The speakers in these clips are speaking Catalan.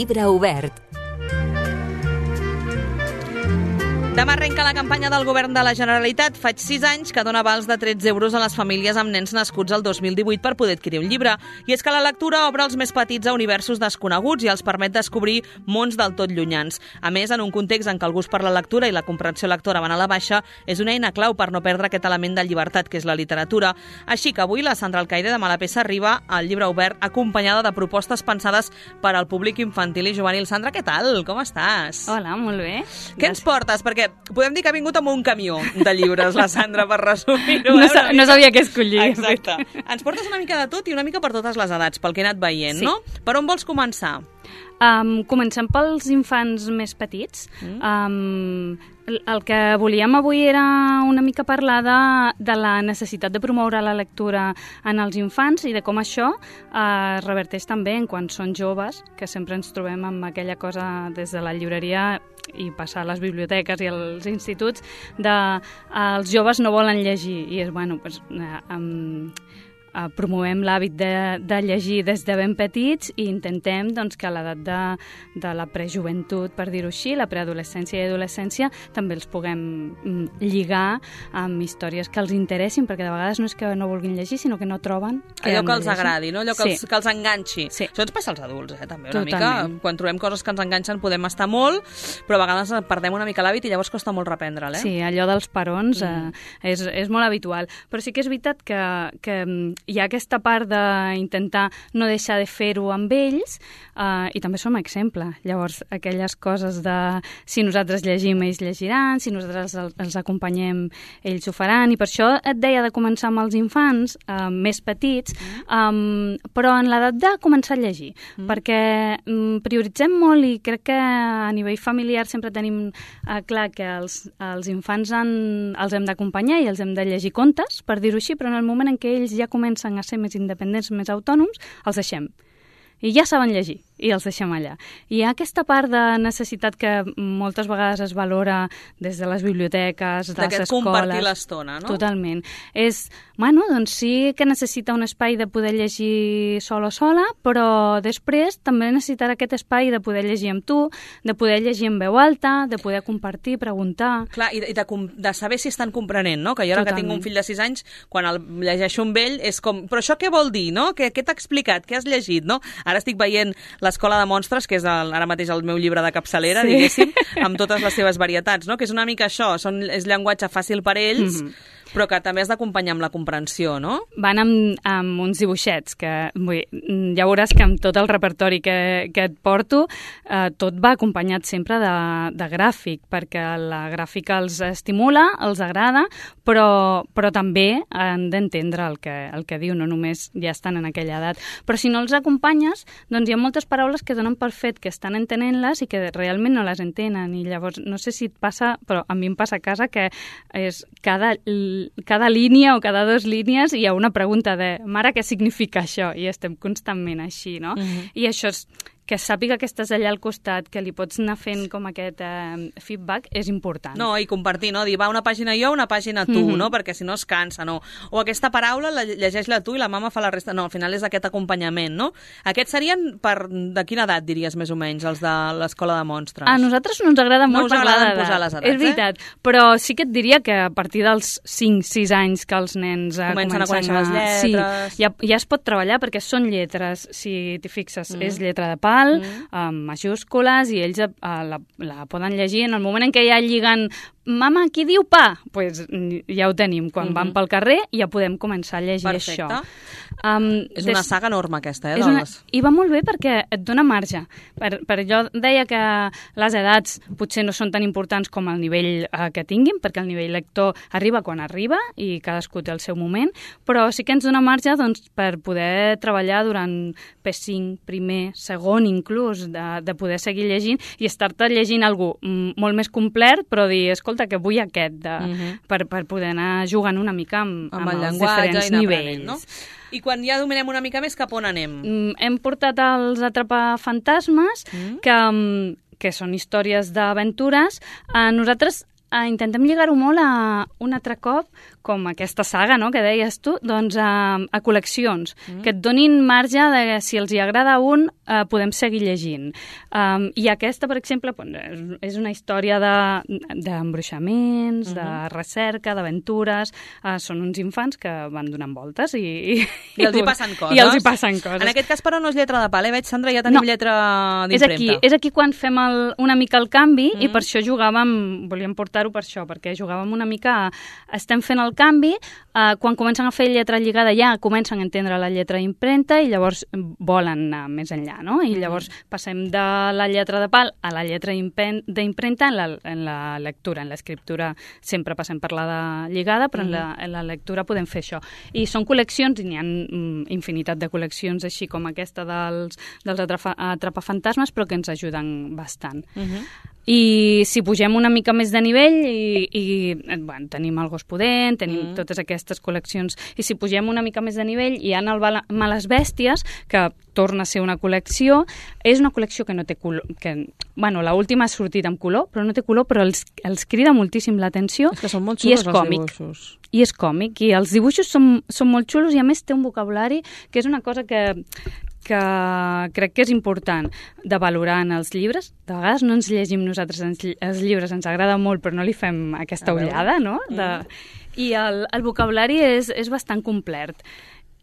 Llibre obert. Demà arrenca la campanya del Govern de la Generalitat. Faig 6 anys que dona vals de 13 euros a les famílies amb nens nascuts el 2018 per poder adquirir un llibre. I és que la lectura obre els més petits a universos desconeguts i els permet descobrir mons del tot llunyans. A més, en un context en què el gust per la lectura i la comprensió lectora van a la baixa, és una eina clau per no perdre aquest element de llibertat que és la literatura. Així que avui la Sandra Alcaide de Malapesa arriba al Llibre obert acompanyada de propostes pensades per al públic infantil i juvenil. Sandra, què tal? Com estàs? Hola, molt bé. Què ens portes? Perquè podem dir que ha vingut amb un camió de llibres, la Sandra, per resumir-ho. No sabia què escollir. Exacte. Ens portes una mica de tot i una mica per totes les edats, pel que he anat veient, sí. No? Per on vols començar? Comencem pels infants més petits. El que volíem avui era una mica parlar de la necessitat de promoure la lectura en els infants i de com això es reverteix també en quan són joves, que sempre ens trobem amb aquella cosa des de la llibreria i passar a les biblioteques i als instituts els joves no volen llegir i és, promovem l'hàbit de llegir des de ben petits i intentem que a l'edat de la prejoventut, per dir-ho així, la preadolescència i adolescència, també els puguem lligar amb històries que els interessin, perquè de vegades no és que no vulguin llegir, sinó que no troben allò que els agradi, no? Allò que els enganxi. Sí. Això ens passa als adults, també, una Totalment. mica. Quan trobem coses que ens enganxen podem estar molt, però a vegades perdem una mica l'hàbit i llavors costa molt reprendre'l, Sí, allò dels parons és molt habitual. Però sí que és veritat que hi ha aquesta part d'intentar no deixar de fer-ho amb ells i també som exemple. Llavors, aquelles coses de si nosaltres llegim, ells llegiran, si nosaltres els acompanyem, ells ho faran. I per això et deia de començar amb els infants més petits, però en l'edat de començar a llegir. Perquè prioritzem molt i crec que a nivell familiar sempre tenim clar que els infants els hem d'acompanyar i els hem de llegir contes, per dir-ho així, però en el moment en què ells ja comencen a ser més independents, més autònoms, els deixem. I ja saben llegir, i els deixem allà. I hi ha aquesta part de necessitat que moltes vegades es valora des de les biblioteques, de les escoles. Compartir l'estona, no? Totalment. Sí que necessita un espai de poder llegir sol o sola, però després també necessitarà aquest espai de poder llegir amb tu, de poder llegir en veu alta, de poder compartir, preguntar... Clar, i de saber si estan comprenent, no? Que jo ara que tinc un fill de 6 anys, quan el llegeixo amb ell, és com, però això què vol dir, no? Què t'ha explicat? Què has llegit, no? Ara estic veient l'Escola de Monstres, que és ara mateix el meu llibre de capçalera, diguéssim, amb totes les seves varietats, no? Que és una mica això, és llenguatge fàcil per ells, però que també has d'acompanyar amb la comprensió, no? Van amb uns dibuixets, que ja veuràs que amb tot el repertori que et porto, tot va acompanyat sempre de gràfic, perquè la gràfica els estimula, els agrada, però també han d'entendre el que diu, no només ja estan en aquella edat. Però si no els acompanyes, doncs hi ha moltes paraules que donen per fet que estan entenent-les i que realment no les entenen. I llavors, no sé si et passa, però a mi em passa a casa que és cada línia o cada 2 línies hi ha una pregunta de mare, què significa això? I estem constantment així, no? I això és que sàpiga que estàs allà al costat, que li pots anar fent com aquest feedback, és important. No, i compartir, no? Dir, va una pàgina jo, una pàgina tu, no? Perquè si no es cansa, no? O aquesta paraula llegeix-la tu i la mama fa la resta. No, al final és aquest acompanyament, no? Aquests serien de quina edat, diries, més o menys, els de l'Escola de Monstres? A nosaltres no ens agrada molt parlar d'edat. Posar les edats, és veritat, però sí que et diria que a partir dels 5-6 anys que els nens comencen a conèixer les lletres... Sí, ja es pot treballar perquè són lletres, si t'hi fixes, és lletra de pal, amb majúscules, i ells la poden llegir en el moment en què ja lliguen mama, qui diu pa? Doncs ja ho tenim. Quan van pel carrer ja podem començar a llegir això. És una saga enorme aquesta, I va molt bé perquè et dona marge. Per jo deia que les edats potser no són tan importants com el nivell que tinguin, perquè el nivell lector arriba quan arriba i cadascú té el seu moment, però sí que ens dona marge per poder treballar durant P5, primer, segon inclús, de poder seguir llegint i estar-te llegint algú molt més complet, però dir, escolta, que vull aquest, per poder anar jugant una mica amb els diferents nivells. No? I quan ja dominem una mica més, cap on anem? Hem portat els Atrapafantasmes, que són històries d'aventures. Nosaltres intentem lligar-ho molt a un altre cop, com aquesta saga, no?, que deies tu, doncs a col·leccions, que et donin marge de si els hi agrada un, podem seguir llegint. I aquesta, per exemple, és una història d'embruixaments, de recerca, d'aventures. Són uns infants que van donant voltes i els hi passen coses. I els hi passen coses. En aquest cas, però, no és lletra de pal, veig, Sandra, ja tenim lletra d'impremta. És aquí quan fem una mica el canvi i per això volíem portar-ho per això, perquè jugàvem una mica, estem fent el canvi, quan comencen a fer lletra lligada ja comencen a entendre la lletra impremta i llavors volen anar més enllà, no? I llavors passem de la lletra de pal a la lletra d'impremta en la lectura, en l'escriptura sempre passem per la de lligada, però en la lectura podem fer això. I són col·leccions, i n'hi ha infinitat de col·leccions així com aquesta dels atrapafantasmes, però que ens ajuden bastant. I si pugem una mica més de nivell bueno, tenim el Gos Pudent, tenim totes aquestes col·leccions, i si pugem una mica més de nivell hi ha el Males Bèsties, que torna a ser una col·lecció. És una col·lecció que no té color, bueno, l'última ha sortit amb color, però no té color, però els crida moltíssim l'atenció. És que són molt xulos els dibuixos. I és còmic, i els dibuixos són molt xulos, i a més té un vocabulari que és una cosa que crec que és important de valorar en els llibres. De vegades no ens llegim nosaltres els llibres, ens agrada molt, però no li fem aquesta ullada, no? I el vocabulari és bastant complet.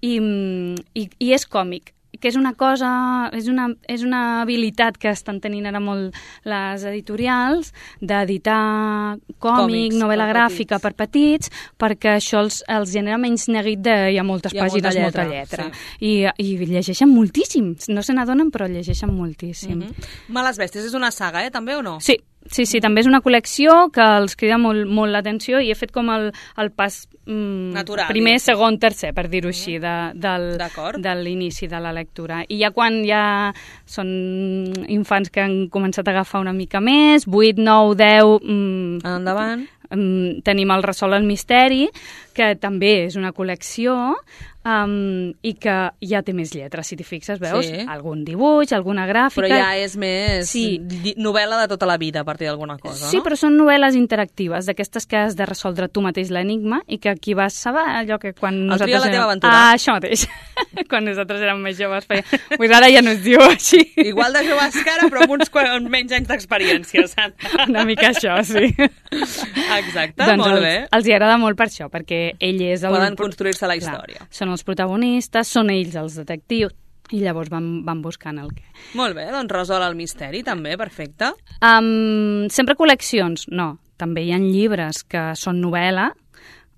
I és còmic, que és una cosa, és una habilitat que estan tenint ara molt les editorials, d'editar còmic, novel·la gràfica per petits, perquè això els genera menys neguit de hi ha moltes pàgines, molta lletra. Sí. I llegeixen moltíssim, no se n'adonen, però llegeixen moltíssim. Males Bèsties és una saga, també o no? Sí, també és una col·lecció que els crida molt l'atenció, i he fet com el pas natural, primer, segon, tercer, per dir-ho així, de l'inici de la lectura. I ja quan ja són infants que han començat a agafar una mica més, 8, 9, 10... Endavant. Tenim el Resol el misteri, que també és una col·lecció, i que ja té més lletres, si t'hi fixes, veus? Sí. Algun dibuix, alguna gràfica... Però ja és més novel·la de tota la vida, a partir d'alguna cosa, no? Sí, però són novel·les interactives, d'aquestes que has de resoldre tu mateix l'enigma, i que aquí vas saber allò que quan el nosaltres... tria la teva aventura. Això mateix. Quan nosaltres érem més joves feia... Pues ara ja no es diu així. Igual de joves que ara, però amb uns menys anys d'experiència, Sandra. Una mica això, sí. Exacte, doncs molt bé. Els hi agrada molt per això, perquè ell és el... Poden construir-se la història. Clar, són els protagonistes, són ells els detectius, i llavors van buscant el què. Molt bé, doncs resol el misteri també, perfecte. Sempre col·leccions, no. També hi ha llibres que són novel·la,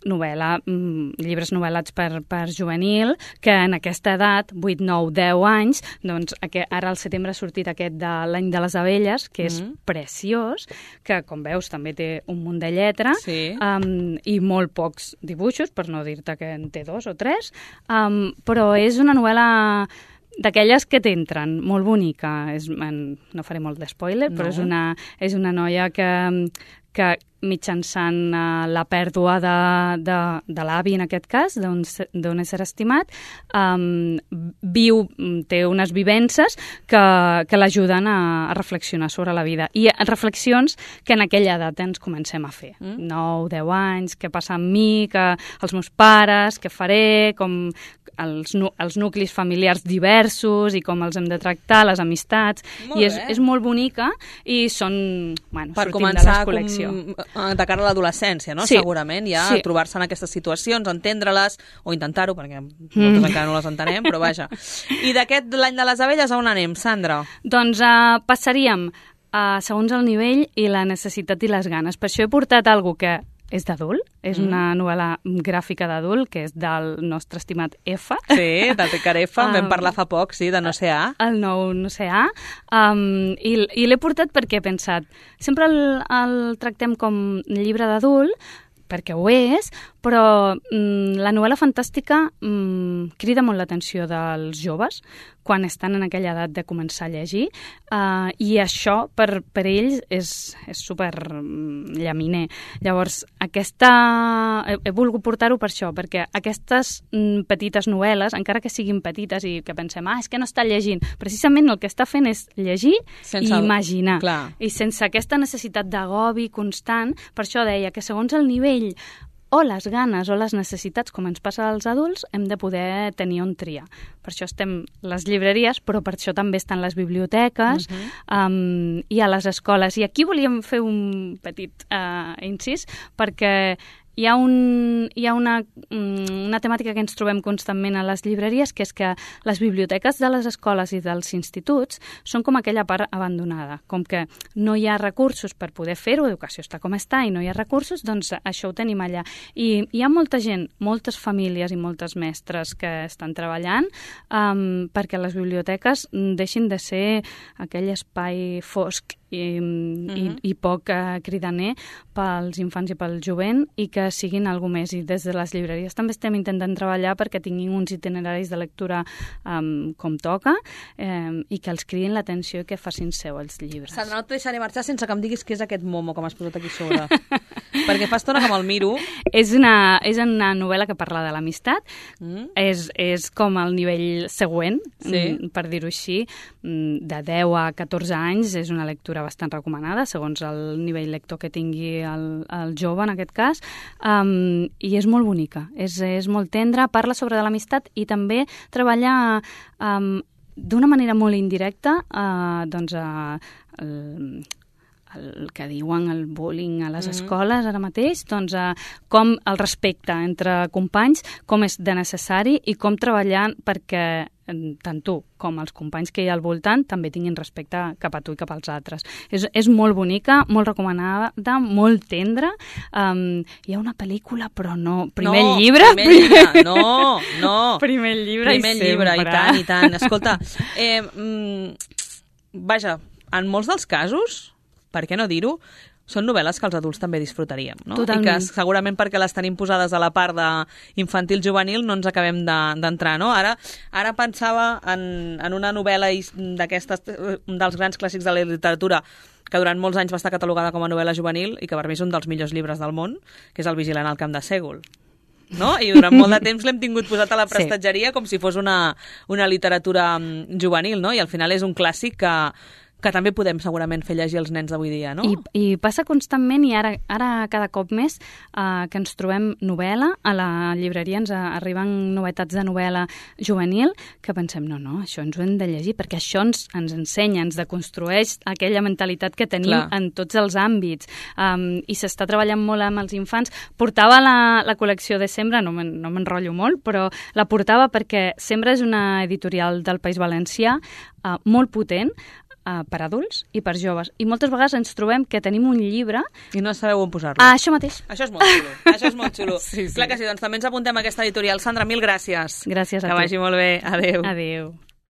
llibres novel·lats per juvenil, que en aquesta edat, 8, 9, 10 anys, doncs ara al setembre ha sortit aquest de l'Any de les Abelles, que és preciós, que com veus també té un munt de lletra, i molt pocs dibuixos, per no dir-te que en té 2 o 3, però és una novel·la d'aquelles que t'entren, molt bonica. No faré molt d'espoiler, però és una noia que mitjançant la pèrdua de l'avi, en aquest cas, d'un ésser estimat, té unes vivències que l'ajuden a reflexionar sobre la vida. I reflexions que en aquella edat ens comencem a fer. 9, 10 anys, què passa amb mi, els meus pares, què faré, com els nuclis familiars diversos i com els hem de tractar, les amistats. I és molt bonica, i són, per començar de cara a l'adolescència, no? Sí. Segurament, ja trobar-se en aquestes situacions, entendre-les, o intentar-ho, perquè moltes encara no les entenem, però vaja. I d'aquest l'Any de les Abelles, on anem, Sandra? Doncs passaríem segons el nivell i la necessitat i les ganes. Per això he portat alguna que és d'adult, és una novel·la gràfica d'adult, que és del nostre estimat F. Sí, del Ricard F, en vam parlar fa poc, sí, de No sé A. El nou No sé A, i l'he portat perquè he pensat, sempre el tractem com llibre d'adult, perquè ho és, però la novel·la fantàstica crida molt l'atenció dels joves, quan estan en aquella edat de començar a llegir, i això per ells és super llaminer. Llavors, he volgut portar-ho per això, perquè aquestes petites novel·les, encara que siguin petites i que pensem, és que no està llegint, precisament el que està fent és llegir i imaginar. Clar. I sense aquesta necessitat d'agobi constant, per això deia que segons el nivell o les ganes o les necessitats, com ens passa als adults, hem de poder tenir on triar. Per això estem les llibreries, però per això també estan les biblioteques i a les escoles. I aquí volíem fer un petit incís, perquè hi ha una temàtica que ens trobem constantment a les llibreries, que és que les biblioteques de les escoles i dels instituts són com aquella part abandonada. Com que no hi ha recursos per poder fer-ho, educació està com està i no hi ha recursos, doncs això ho tenim allà. I hi ha molta gent, moltes famílies i moltes mestres que estan treballant perquè les biblioteques deixin de ser aquell espai fosc i poc cridaner pels infants i pel jovent, i que siguin alguna més. I des de les llibreries també estem intentant treballar perquè tinguin uns itineraris de lectura com toca, i que els cridin l'atenció i que facin seu els llibres. Sandra, no et deixaré marxar sense que em diguis què és aquest momo que m'has posat aquí sobre. Perquè fa estona que me'l miro. És una novel·la que parla de l'amistat. És com el nivell següent, per dir-ho així, de 10 a 14 anys. És una lectura bastant recomanada, segons el nivell lector que tingui el jove, en aquest cas, i és molt bonica, és molt tendra, parla sobre de l'amistat i també treballa d'una manera molt indirecta el que diuen el bullying a les escoles ara mateix, doncs com el respecte entre companys, com és de necessari i com treballar perquè tant tu com els companys que hi ha al voltant també tinguin respecte cap a tu i cap als altres. És molt bonica, molt recomanada, molt tendra. Hi ha una pel·lícula, però no. Primer llibre. No. Primer llibre i tant. Escolta, vaja, en molts dels casos, per què no dir-ho, són novel·les que els adults també disfrutaríem, no? Totalment. I que segurament perquè les tenim posades a la part d'infantil-juvenil no ens acabem d'entrar, no? Ara pensava en una novel·la d'aquestes, dels grans clàssics de la literatura, que durant molts anys va estar catalogada com a novel·la juvenil i que per mi és un dels millors llibres del món, que és El vigilant al camp de Sègol. No? I durant molt de temps l'hem tingut posat a la prestatgeria com si fos una literatura juvenil, no? I al final és un clàssic que també podem segurament fer llegir els nens d'avui dia, no? I passa constantment, i ara cada cop més que ens trobem novel·la, a la llibreria ens arriben novetats de novel·la juvenil, que pensem, no, això ens ho hem de llegir, perquè això ens ensenya, ens deconstrueix aquella mentalitat que tenim en tots els àmbits, i s'està treballant molt amb els infants. Portava la col·lecció de Sembra, no m'enrotllo molt, però la portava perquè Sembra és una editorial del País Valencià molt potent, per adults i per joves. I moltes vegades ens trobem que tenim un llibre i no sabeu on posar-lo. Això mateix. Això és molt xulo. Sí. Clar que sí, doncs també ens apuntem a aquesta editorial. Sandra, mil gràcies. Gràcies a tu. Que vagi molt bé. Adéu. Adéu.